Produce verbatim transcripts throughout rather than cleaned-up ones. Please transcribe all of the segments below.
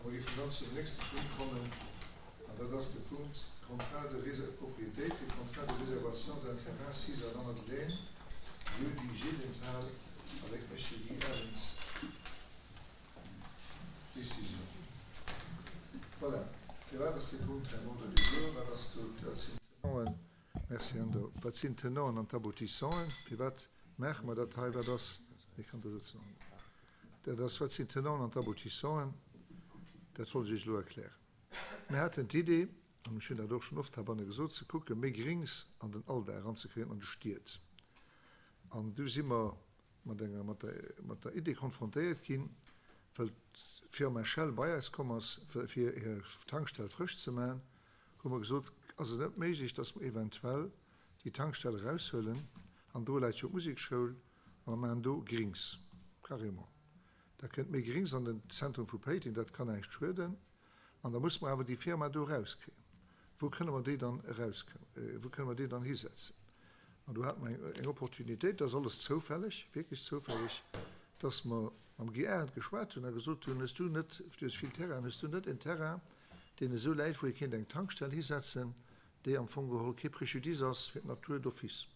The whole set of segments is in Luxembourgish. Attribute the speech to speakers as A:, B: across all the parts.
A: A mer géifen dann zum nächste Punkt kommen, an dat ass de Punkt Contrat de propriété, contrat de réservation d'un terrain sis à La Madeleine, lieu-dit Gédenthal, avec Monsieur Guy Arens. Décision. Voilà. Firwat ass dee Punkt hei am Ordre du jour? Wat ass do, wat sinn d'Tenanten? Merci, Ando. Wat sinn d'Tenanten an d'Aboutissanten? Firwat maache mer dat hei? Wat ass, ech kann do sëtzen. Dat ass, wat sinn d'Tenanten an d'Aboutissanten? Dat wollt ech Iech elo erklären. Mir haten d'Idee, an ech hunn dat och schonn oft heibanne gesot, ze kucken, méi Grings an den Alldag eranzekréien an de Stied. An du si mer mat enger, mat der, mat der Idee konfrontéiert ginn, well d'Firma Shell bei eis komm ass, fir hir Tankstell frësch ze maachen, hu mer gesot, ass et net méiglech, dass mer eventuell déi Tankstell eraushuelen, an do läit jo d'Musekschoul, a mer maachen do Grings, carrément. Da kënnt méi Grings an den Zentrum vu Péiteng, dat kann näischt schueden, an da musse mer awer déi Firma do erauskréien. Wou kënne mer déi dann erauskréien, wou kënne mer déi dann hisetzen? An do hate mer eng, eng Opportunitéit, dat ass alles zoufälleg, wierklech zoufälleg, dass mer mam Guy Arendt geschwat hunn a gesot hunn, Hues du net, du hues vill Terrainen, hues du net en Terrain, deen esou läit, wou ee kéint eng Tankstell hisetzen, déi am Fong geholl kee Préjudice ass fir d'Natur d'office?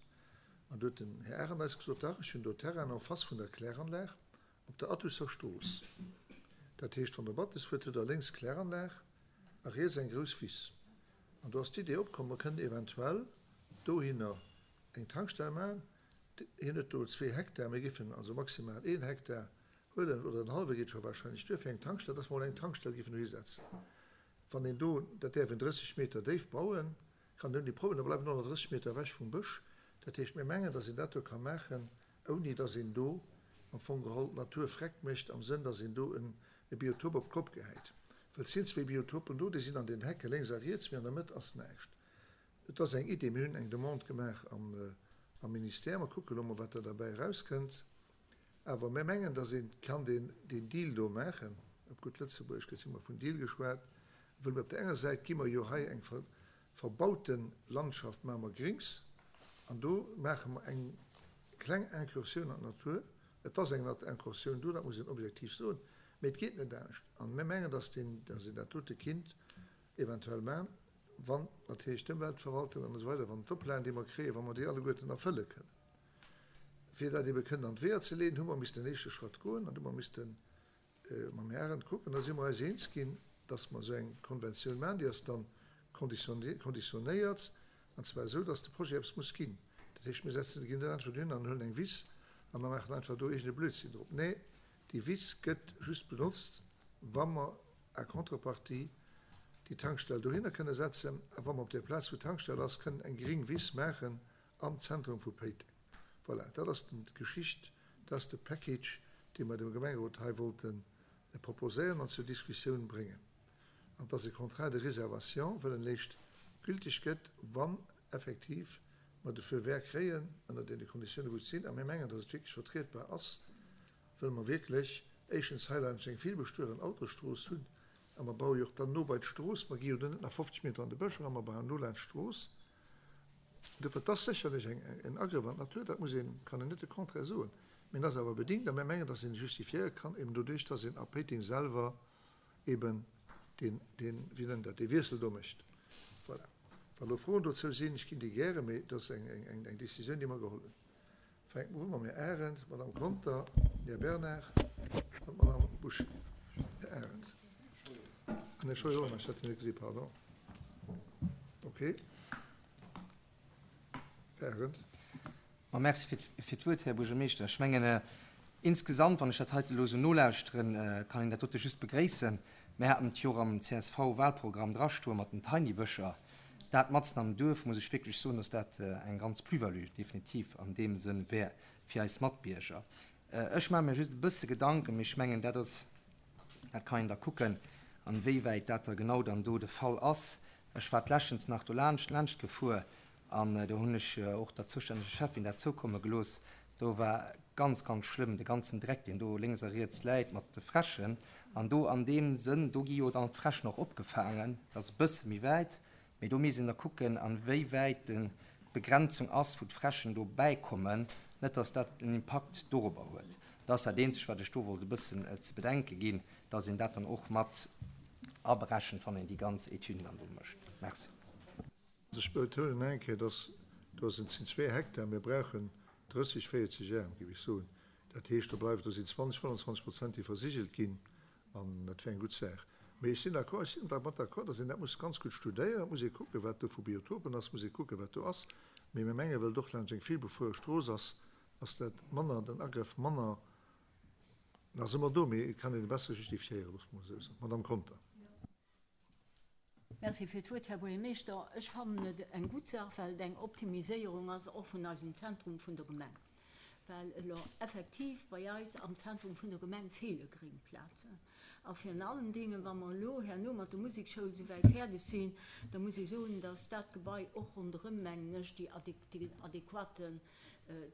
A: An do huet den Här Arendt eis gesot, Dach, ech hunn do Terrainen en face vun der Kläranlag op der Attusser Strooss. Dat heescht, wann Der Battes fuert, hutt Der lénks d'Kläranlag a riets eng grouss Wiss. An do ass d'Idee opkomm, mer kënnen eventuell dohinner eng Tankstell maachen. Hien huet do zwee Hektar, mir géifen also maximal een Hektar huelen, oder en hallwe geet scho wahrscheinlech duer fir eng Tankstell, dass mer emol eng Tankstell géifen dohi setzen. Wann een do, dat däerf een drësseg Meter déif bauen, kann een ouni Problem, da bleiwen och nach drësseg Meter ewech vum Bësch. Dat heescht, mir mengen, dass een dat do ka maachen, ouni dass een do am Fong geholl d'Natur vreckt mécht, am Sënn, dass een do e Biotop op d'Kopp gehäit. Well et sinn zwee Biotopen do, déi sinn an den Hecke lénks a riets, mee an der Mëtt ass näischt. Et ass eng Idee, mir hunn eng Demande gemaach am Ministère, mer kucke lo mol, wat da derbäi erauskënnt. Awer mir mengen, dass ee kann deen Deal do maachen, op gutt Lëtzebuergesch gëtt jo ëmmer vun Deal geschwat, wëll mir op där enger Säit gi mer jo hei eng verbaute Landschaft, maache mer Grings, an do maache mer eng kleng Incursioun an d'Natur. Et ass eng Incursioun do, dat muss een objektiv soen, mee et geet net anescht. A mir mengen, dass een dat dote kinnt eventuell maachen, wann natierlech d'Ëmweltverwaltung an esou weider, wann d'Oplagen, déi mer kréien, wa mer déi alleguerten erfëlle kënnen. Fir dat ebe kënnen an d'Weeër ze leeden, hu mer missten en éischte Schratt goen an hu mer misste mam Här Arendt kucken. Da si mer eis eens ginn, dass mer esou eng Konventioun maachen, déi ass dann konditionéiert, an zwar esou, dass de Projet eppes muss ginn. Dat heescht, mir setzen, ginn net einfach dohin an huelen eng Wiss a mer maachen einfach do iergend e Blödsinn drop. Nee, déi Wiss gëtt just benotzt, wa mer à contrepartie déi Tankstell dohinner kënne setzen a wa mer op där Plaz, wou d'Tankstell ass, kënnen eng gring Wiss maachen am Zentrum vu Péiteng. Voilà, dat ass d'Geschicht, dat ass de Package, dee mer dem Gemengerot hei wollte proposéieren an zur Diskussioun bréngen. An dass e Contrat de réservation, wëll en eréischt gültig gëtt, wann effektiv mer de Feu vert kréien, ënner deene Konditiounen, wou et sinn, a mir mengen, dass et wierklech vertrietbar ass, wëll mer wierklech éischtens hei laanscht eng villbestueren Autostrooss hunn, a mer baue jo och dann no bei d'Strooss, mer gi jo do net nach fofzeg Meter an de Bësch eran, mer bauen no laanscht d'Strooss. Dofir, et ass sécherlech eng, en Agrëff an d'Natur, dat muss een, kann een net de Contraire soen, mee en ass awer bedingt a mir mengen, dass een e justifiéiere kann, eben doduerch, dass een a Péiteng selwer eben deen, deen, wéi nennt dat, dee Wiessel do mécht. Voilà. Wa lo Froen dozou sinn, ech ginn déi gäre, mee et ass eng, eng, eng Décisioun, déi mer geholl hunn. Fänke mer u mam Här Arendt, d'Madame Conter, den Här Bernard an d'Madame Bouché. Här Arendt. An Här Scheuer och nach, ech hat en net gesi, pardon. Okay. Här Arendt.
B: Ma merci fir d'Wuert, Här Buergermeeschter. Ech mengen, insgesamt, wann ech dat heite elo esou nolauschteren, kann een dat dote just begréissen. Mir haten et jo och am C S V Wahlprogramm drastoe mat den Tiny-Bëscher. Dat matzen am Duerf, muss ech wierklech soen, dass dat eng ganz Plus-value definitiv an deem Sënn wär fir eis Matbierger. Ech maache mir just e bësse Gedanken, mee ech mengen, dat ass, dat kann een da kucken, an wéiwäit dat da genau dann do de Fall ass. Ech war d'leschtens nach do laanscht, laanscht gefuer an do hunn ech och der zoustänneger Schäffin dat zoukomme gelooss. Do war ganz, ganz schlëmm, de ganzen Dreck, deen do lénks a riets läit mat de Fräschen. An do an deem Sënn, do gi jo dann d'Fräschen och opgefaangen, dat ass e bësse méi wäit, mee do misst een da kucken, an wéiwäit d'Begrenzung ass, wou d'Fräschen do bäikommen, net dass dat en Impakt dorobber huet. Dat ass dat Eenzegt, wat ech do wollt e bëssen ze bedenke ginn, dass een dat dann och mat aberechent, wann een déi ganz Etüden dann do mécht. Merci.
A: Ech betounen eng Kéier, dass do sinn zwee Hektar, mir brauchen drësseg, véierzeg Äerm, géif ech soen. Dat heescht, do bleift, do sinn zwanzeg, fënnwandzwanzeg Prozent, déi versigelt ginn, an dat wär eng gutt Saach. Mee ech sinn d'accord, ech sinn dermat d'accord, dass een dat muss ganz gutt studéieren, et muss ee kucken, wat do vu Biotopen ass, muss ee kucken, wat do ass. Mee mir mengen, well et och laanscht eng villbefuere Strooss ass, ass dat manner, den Agrëff manner, da si mer do, mee et kann een e besser justifiéieren, loosse mer esou soen. Madame Conter.
C: Merci fir d'Wuert, Här Buergermeeschter. Ech fannen et eng gutt Saach, well et eng Optimiséierung ass och vun eisem Zentrum vun der Gemeng. Well elo effektiv bei eis am Zentrum vun der Gemeng feele Gréngplazen. A virun allen Dingen, wa mer elo herno mat der Musekschoul esouwäit fäerdeg sinn, da muss ech soen, dass dat Gebai och ronderëm, mengen ech, déi adequaten,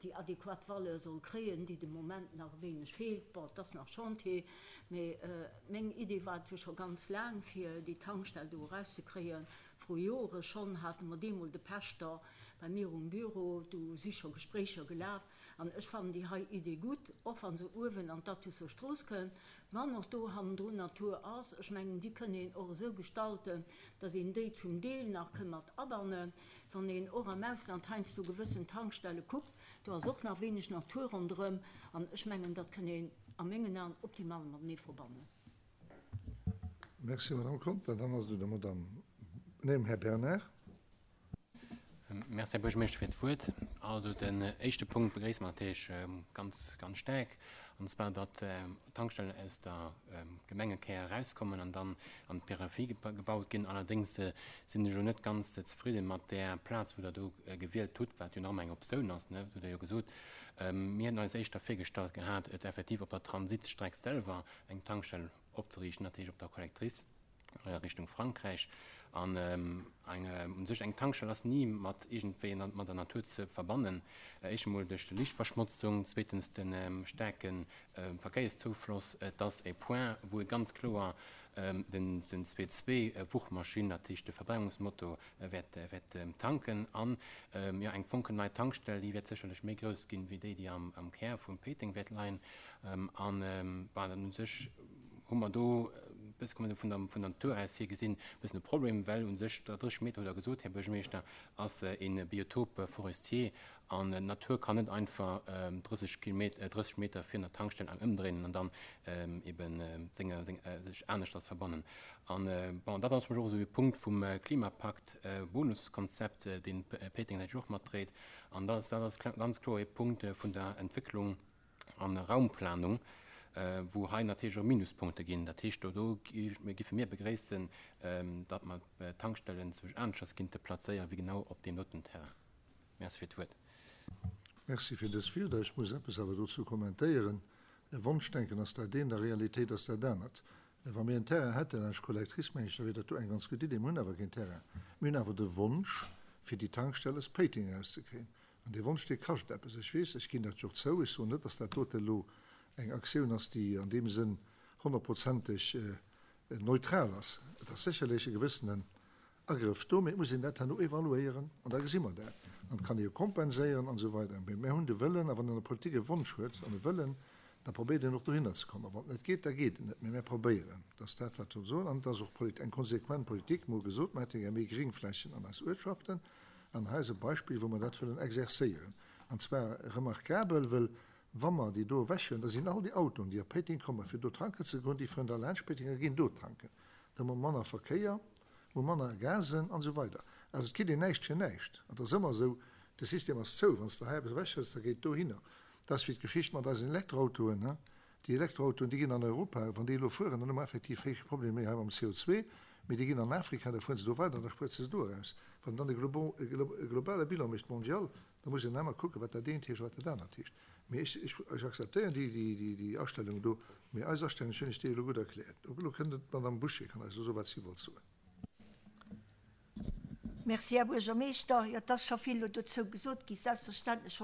C: déi adequat Valeur soll kréien, déi de Moment nach e wéineg feelt. Bon, et ass nach Chantier, mee meng Idee war et jo scho ganz laang, fir déi Tankstell do erauszekréien. Vru Jore schonn hate mer deemol de Päschter bei mir um Büro, do si scho Gespréicher gelaf. An ech fannen déi hei Idee gutt, och wa se uewen an d'Athuser Strooss kënnt, wann och do hannendrun Natur ass. Ech mengen, déi kënn een och esou gestalten, datt een déi zum Deel nach kënn mat abannen. Wann een och am Ausland heiansdo gewëssen Tankstelle kuckt, do ass och nach wéineg Natur ronderëm. An ech mengen, dat kënn een a mengen Aen optimal matenee verbannen.
A: Merci, Madame Conter. Dann ass et un der Madame, nee, um Här Bernard.
D: Merci, Här Buergermeeschter, fir d'Wuert. Also den éischte Punkt begréisse mer natierlech ganz, ganz staark, an zwar datt d'Tankstellen aus der Gemengekär erauskommen an dann an d'Peripherie gebaut ginn. Allerdéngs sinn ech elo net ganz zefridde mat där Plaz, wou Der do gewielt hutt, wat jo nach ëmmer eng Optioun ass, ne, hutt Der jo gesot. Mir hätten eis éischter virgestallt gehat, et effektiv op der Transitstreck selwer eng Tankstell opzeriichten, dat heescht op der Collectrice Richtung Frankräich. An eng, u sech eng Tankstell ass ni mat iergendwéi mat der Natur ze verbannen. Éischt emol duerch d'Liichtverschmotzung, zweetens de staarke Verkéierszoufloss. Et ass e Point, wou ee ganz kloer den zwee zwee Wuchmaschinn, dat heescht de Verbrennungsmotor, wäert, wäert tanken. An, jo, eng fonkelnei Tankstell, déi wäert sécherlech méi grouss ginn, wéi déi, déi am, am Kär vum Péiteng wäert leien. An, bon, u sech hu mer do, bësse kommen vun der, vun der Natur aus hier gesinn, e bëssen e Problem, well u sech drësseg Meter, hutt Der gesot, Här Buergermeeschter, ass e Biotop forestier an d'Natur kann net einfach drësseg Kilometer, drësseg Meter virun der Tankstell eng ëmdréinen an dann eben senge, seng, sech aneschters verbannen. An, bon, dat ass zum Beispill och esou e Punkt vum Klimapakt Bonuskonzept, deen Péiteng natierlech och matdréit. An dat ass, dat ass ganz kloer e Punkt vun der Entwécklung an Raumplanung, wou hei natierlech och Minuspunkte ginn. Dat heescht, do, do géife mir begréissen, datt mer d'Tankstellen zwousch aneschters kinnte plazéieren, wéi genau op deem doten Terrain. Merci fir d'Wuert.
A: Merci fir dës Wierder. Ech muss eppes awer dozou kommentéieren. Wonschdenken ass dat eent, a Realitéit ass dat anert. Wa mir en Terrain hätten, eng Collectrice, mengen ech, da wier dat do eng ganz gutt Idee. Mir hunn awer keen Terrain. Mir hunn awer de Wonsch, fir déi Tankstell aus Péiteng erauszekréien. An dee Wonsch, dee kascht eppes. Ech weess, ech ginn dat jo och zou. Ech soen net, datt dat dote elo eng Aktioun ass, déi an deem Sënn honnertprozenteg neutral ass. Et ass sécherlech e gewëssenen Agrëff do, mee et muss een dat herno evaluéieren an da gesi mer dat. An et kann ee jo kompenséieren an esou weider. Mee mir hunn de Wëllen, a wann een an der Politik e Wonsch huet an e Wëllen, da probéiert een och dohinner ze kommen. Wann et net geet, da geet et net. Mee mir probéieren. Dat ass dat, wat wir soen. An et ass och eng konsequent Politik. Mir hu gesot, mir hätte gär méi Gréngflächen an eis Uertschaften. An hei ass e Beispill, wou mer dat wëllen exerzéieren. An zwar remarkabel, well wa mer déi do ewechhuelen, da sinn all déi Autoen, déi op Péiteng kommen, fir do tanken ze goen, déi fueren da laanscht Péiteng a ginn do tanken. Da hu mer manner Verkéier, hu manner Gasen an esou weider. Also et kritt een näischt fir näischt. An et ass ëmmer esou, de System ass zou, wann s de hei eppes ewechhëls, da geet dohinner. Dat ass wéi d'Geschicht mat eisen Elektroautoen, he. Déi Elektroautoen, déi ginn an Europa, wann déi elo fueren, dann hu mer effektiv héich Problemer méi hei mam C O zwei, mee déi ginn an Afrika, da fueren se do weider an da spuert se se do eraus. Wann dann e globale Bilan mécht mondial, da muss een ëmmer kucken, wat dat eent heescht a wat dat anert heescht. Mee ech, ech, ech akzeptéieren déi, déi, déi, déi Astellung do, mee eis Astellung, ech hunn ech déi elo gutt erkläert. Elo kënnt d'Madame Bouché, kann eis elo soen, wat si wollt soen.
E: Merci, Här Buergermeeschter. Jo, et ass scho vill elo dozou gesot gi. Selbstverständlech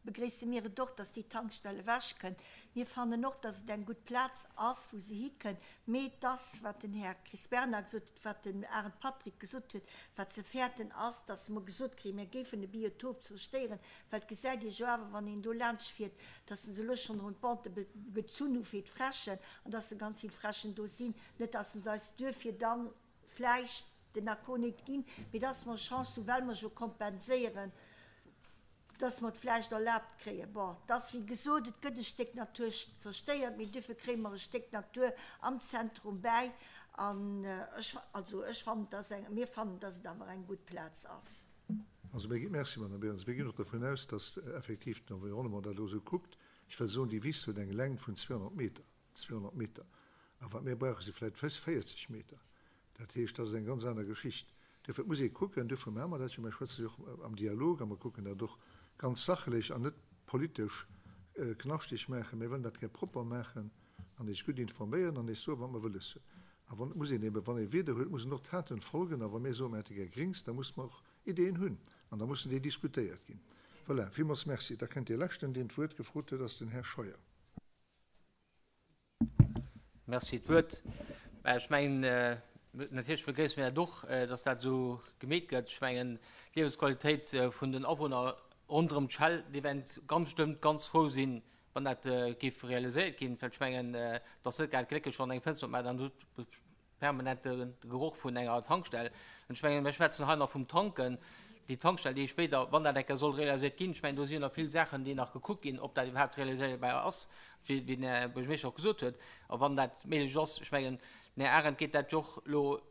E: begréisse mir et och, dass déi Tankstell ewechkënnt. Mir fannen och, dass et eng gutt Plaz ass, wou se hikënnt. Mee et ass, wat den Här Chris Bernard gesot huet, wat den Arendt Patrick gesot huet, wat ze fäerten ass, dass mer gesot kréien, mir géifen e Biotop zerstéieren, well et gesäit ee jo awer, wann een do laanschtfiert, dass se elo schonn erëm d'Bande gezunn hu fir d'Fräschen an dass se ganz vill Fräschen do sinn. Net, dass se eis duerfir dann vläicht den Accord net ginn, mee dass mer Chance hunn, well mer jo kompenséieren, dass mer et vläicht erlaabt kréien. Bon, et ass wéi gesot, et gëtt e Stéck Natur zerstéiert, mee duerfir kréie mer e Stéck Natur am Zentrum bäi. An ech, also ech fannen, dass eng, mir fannen, dass et awer eng gutt Plaz ass.
A: Also mir ginn, merci Madame Berens, mir ginn och dovun aus, dass effektiv den Environnement dat elo esou kuckt. Ech wëll soen, déi Wiss huet eng Längt vun zweehonnert Meter, zweehonnert Meter. A wat mir brauche si vläicht véierzeg Meter. Dat heescht, dat ass eng ganz aner Geschicht. Duerfir muss ee kucken, duerfir maache mer dat jo, mir schwätze jo och am Dialog a mer kucken dat och ganz sachlech an net politesch knaschteg maachen. Mir wëllen dat gär propper maachen an eis gutt informéieren an eis soen, wat mer wëlles hunn. A wann, muss een eben, wann ee Wieder huet, mussen och Taten folgen. A wa mir soen, mir hätte gär Grings, da muss mer och Ideen hunn an da mussen déi diskutéiert ginn. Voilà, villmools Merci. Da kënnt dee Leschten, deen d'Wuert gefrot huet, ass den Här Scheuer.
F: Merci fir d'Wuert. Ech mengen, natierlech begréisse mir dat och, dass dat esou gemeet gëtt. Ech mengen, d'Liewensqualitéit vun den Awunner ronderëm d'Schell, déi wäerten ganz bestëmmt ganz frou sinn, wann dat géif realiséiert ginn. Well ech mengen, et ass net grad glécklech, wann eng Fënster opmaacht an huet permanent de Geroch vun enger Tankstell. An ech mengen, mir schwätzen hei nach vum Tanken. Déi Tankstell, déi spéider, wann dat eng Kéier soll realiséiert ginn, ech mengen, do sinn nach vill Saachen, déi nach gekuckt ginn, ob dat iwwerhaapt realiséierbar ass, wéi den Här Buergermeeschter och gesot huet. A wann dat méiglech ass, ech mengen, den Här Arendt geet dat jo och elo,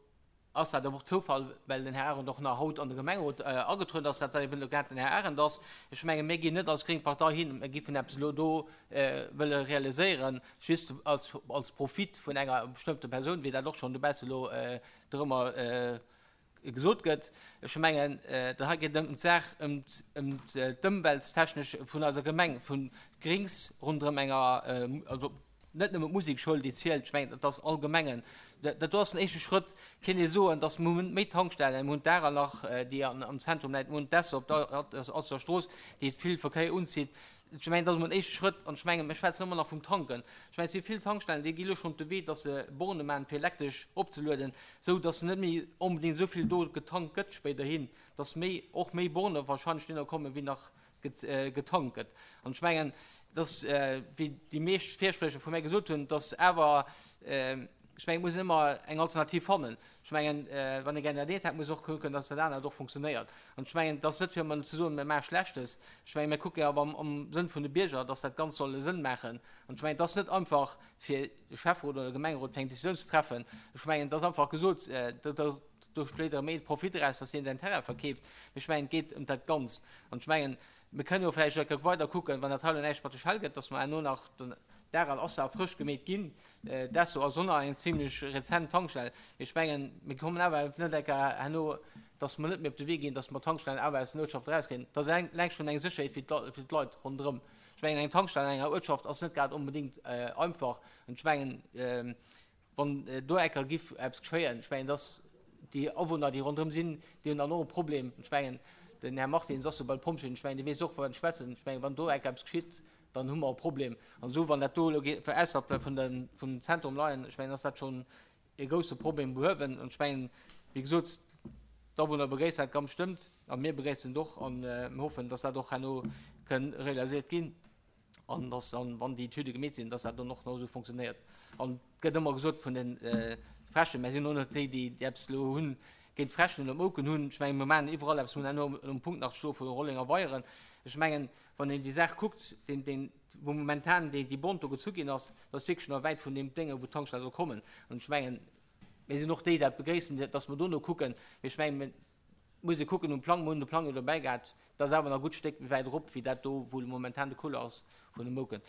F: ass dat och Zoufall, well den Här Arendt och nach haut an de Gemengerot agetrueden ass, dat eben elo grad den Här Arendt ass. Ech mengen, mir ginn net als gréng Partei hin, mir géifen eppes elo do wëlle realiséieren, just als, als Profit vun enger bestëmmte Persoun, wéi dat och schonn dobausse elo dorëmmer gesot gëtt. Ech mengen, dat hei geet ëm d'Saach, ëm d'Ëmwelttechnesch vun eiser Gemeng, vun Grings ronderëm enger, also net nëmmen d'Musekschoul, déi zielt, ech mengen, dat ass allgemengen. Dat do ass den éischte Schrëtt, kéint ee soen, datt mir hunn méi Tankstellen, mir hunn d'Arer nach, déi am Zentrum läit, mir hunn d'Esso op der Alster Strooss, déi vill Verkéier unzitt. Ech mengen, dat ass emol en éischte Schrëtt an ech mengen, mir schwätzen ëmmer nach vum Tanken. Ech mengen, et si vill Tankstellen, déi gi elo schonn op de Wee, datt se Borne maachen, fir elektresch opzelueden, esou datt net méi onbedéngt esou vill do getankt gëtt spéiderhin, datt méi, och méi Borne wahrscheinlech dohinner kommen, wéi nach getankt gëtt. An ech mengen, datt, wéi déi meescht Virspriecher vu mär gesot hunn, datt awer, ech mengen, et muss een ëmmer eng Alternativ fannen. Ech mengen, wann ee gär dat eent hätt, muss och kucken, datt dat anert och funktionéiert. An ech mengen, et ass net fir ëmmer ze soen, mir maache Schlechtes. Ech mengen, mir kucke awer am Sënn vun de Bierger, datt dat Ganzt soll e Sënn maachen. An ech mengen, et ass net einfach fir de Schäfferot oder de Gemengerot fir eng Décisioun ze treffen. Ech mengen, et ass einfach gesot, do schléit erëm ee Profit eraus, datt deen säin Terrain verkeeft. Mee ech mengen, et geet ëm dat Ganzt. An ech mengen, mir kënnen jo vläicht elo weider kucken, wann dat hei elo näischt mat de Schell gëtt, datt mer herno nach den Daral ass ja frësch gemeet ginn, d'Esso ass och nach eng zimlech rezent Tankstell. Mee ech mengen, mir kommen awer net enker herno, datt mer net méi op de Wee ginn, datt mer Tankstellen awer aus den Uertschaften erauskriegen. Dat ass eleng schonn eng Sécherheet fir d'Leit ronderëm. Ech mengen, eng Tankstell an enger Uertschaft ass net grad onbedéngt einfach. An ech mengen, wann do enker giff eppes geschéien, ech mengen, datt déi Awunner, déi ronderëm sinn, déi hunn dann och e Problem. Ech mengen, den Här Martins ass jo bei de Pompjeeën, ech mengen, dee weess och, wou en schwätzen. Ech mengen, wann do enker eppes geschitt, dann hu mer e Problem. An esou, wann dat do elo geet, ausserhalb vun de, vum Zentrum leien, ech mengen, ass dat schonn e grousse Problem behuewen. An ech mengen, wéi gesot, d'Awunner begréissen dat ganz bestëmmt a mir begréissen et och an mir hoffen, dass dat och herno kënn realiséiert ginn an dass dann, wann déi Etüde gemeet sinn, dass dat dann och nach esou funktionéiert. An et gëtt ëmmer gesot vun de Fräschen, mir sinn och net déi, déi eppes elo hunn géint d'Fräschen oder d'Mouken hunn. Ech mengen, mir maachen iwwerall eppes, mir hunn herno um Punkt nach sto vu Rolling a Weieren. Ech mengen, wann een déi Saach kuckt, deen, deen, wou momentan déi, déi Bond do gezu ginn ass, dat ass wierklech nach wäit vun deem Dénge, wou d'Tankstell soll kommen. An ech mengen, mir sinn och déi, déi dat begréissen, dass mer dono kucken. Mee ech mengen, mir muss ee kucken um Plang, mir hunn de Plang jo dobäi gehat, dat ass awer nach e gutt Stéck méi wäit erop, wéi dat do, wou momentan de Couloir ass vun de Mouken.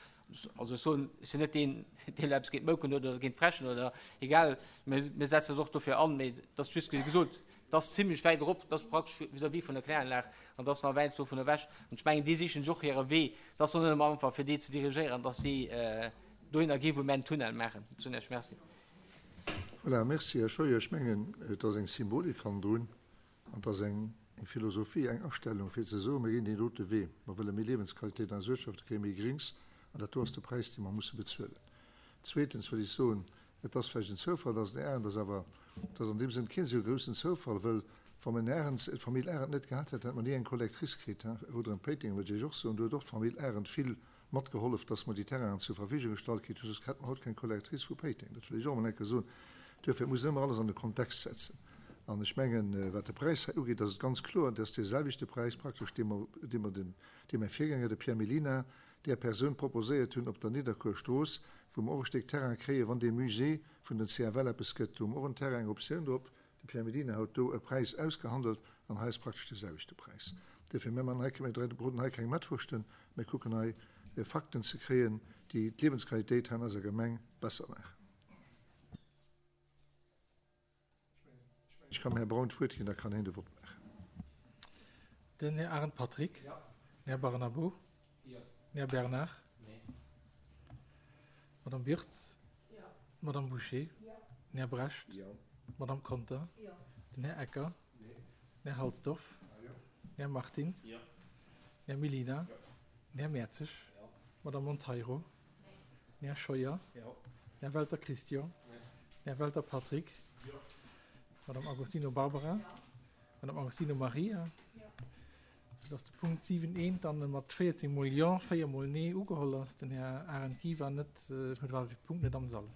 F: Also ech soen, ech sinn net deen, deen eppes géint d'Mouken huet oder géint d'Fräschen oder egal, mir, mir setzen eis och dofir an, mee et ass just gesot, et ass zimlech wäit erop, et ass praktesch vis-à-vis vun der Kläranlag an et ass nach wäit dovun ewech. An ech mengen, déi sichen sech och hire Wee. Et ass och net ëmmer einfach, fir déi ze dirigéieren, dass si dohinner ginn, wou mir en Tunnel maachen. Ech soen Iech Merci.
A: Voilà, merci, Här Scheuer. Ech mengen, et ass eng Symbolik hannendrun an et ass eng eng Philosophie, eng Astellung, fir ze soen, mir ginn deen dote Wee, mer wëlle méi Liewensqualitéit an eis Uertschafte kréien, méi Grings, an dat do ass de Präis, dee mer musse bezuelen. Zweetens wëll ech soen, et ass vläicht en Zoufall, dass den Här Arendt ass, awer et ass an deem Sënn keen esou groussen Zoufall, wëll wa mer den Arendt, d'Famill Arendt net gehat hätten, hätte mer ni eng Collectrice kritt. Ronderëm Péiteng wëll ech Iech och soen, do huet och d'Famill Arendt vill matgehollef, dass mer déi Terrainen zur Verfügung gestallt kritt hunn, soss hätte mer haut keng Collectrice vu Péiteng. Dat wëll ech och emol eng Kéier soen. Duerfir, et muss een ëmmer alles an de Kontext setzen. An ech mengen, wat de Präis hei ugeet, ass et ganz kloer, et ass deeselwechte Präis praktesch, dee mer, dee mer den, dee mäi Virgänger, de Pierre Mellina, där Persoun proposéiert hunn op der Nidderkuer Strooss, wou mer och e Stéck Terrain kréien, wann dee Musée vun den C F L eppes gëtt. Do hu mer och en Terrain, eng Optioun drop. De Pierre Mellina huet do e Präis ausgehandelt an hei ass praktesch dee selwechte Präis. Duerfir, mir man hei, mir broden hei keng Mettwurschten, mir kucken hei Fakten ze kréien, déi d'Liewensqualitéit hei an eiser Gemeng besser maachen. Ech kann dem Här Braun d'Wuert ginn, da kann hien de Vott maachen.
G: Den Här Arendt Patrick.
B: Jo.
G: Den Här Barnabo.
B: Jo.
G: Den Här Bernard.
B: Nee.
G: D'Madame Birtz.
C: Jo.
G: D'Madame Bouché.
C: Jo.
G: Den Här Brecht.
A: Jo.
G: D'Madame Conter.
C: Jo.
G: Den Här Ecker.
A: Nee.
G: Den Här Halsdorf.
A: Ah, jo.
G: Den Här Martins.
B: Jo.
G: Den Här Mellina.
B: Jo.
G: Den Här Mertzig.
B: Jo.
G: D'Madame Monteiro.
C: Nee.
G: Den Här Scheuer.
B: Jo.
G: Den Här Welter Christian.
B: Nee.
G: Den Här Welter Patrick.
B: Jo.
G: D'Madame Agostino Barbara.
C: Jo.
G: D'Madame Agostino Maria.
C: Jo.
G: Soudass de Punkt siwen eent dann mat véierzéng mol Jo, véier mol Nee ugeholl ass. Den Här Arendt Guy war net, huet war de Punkt net am Sall.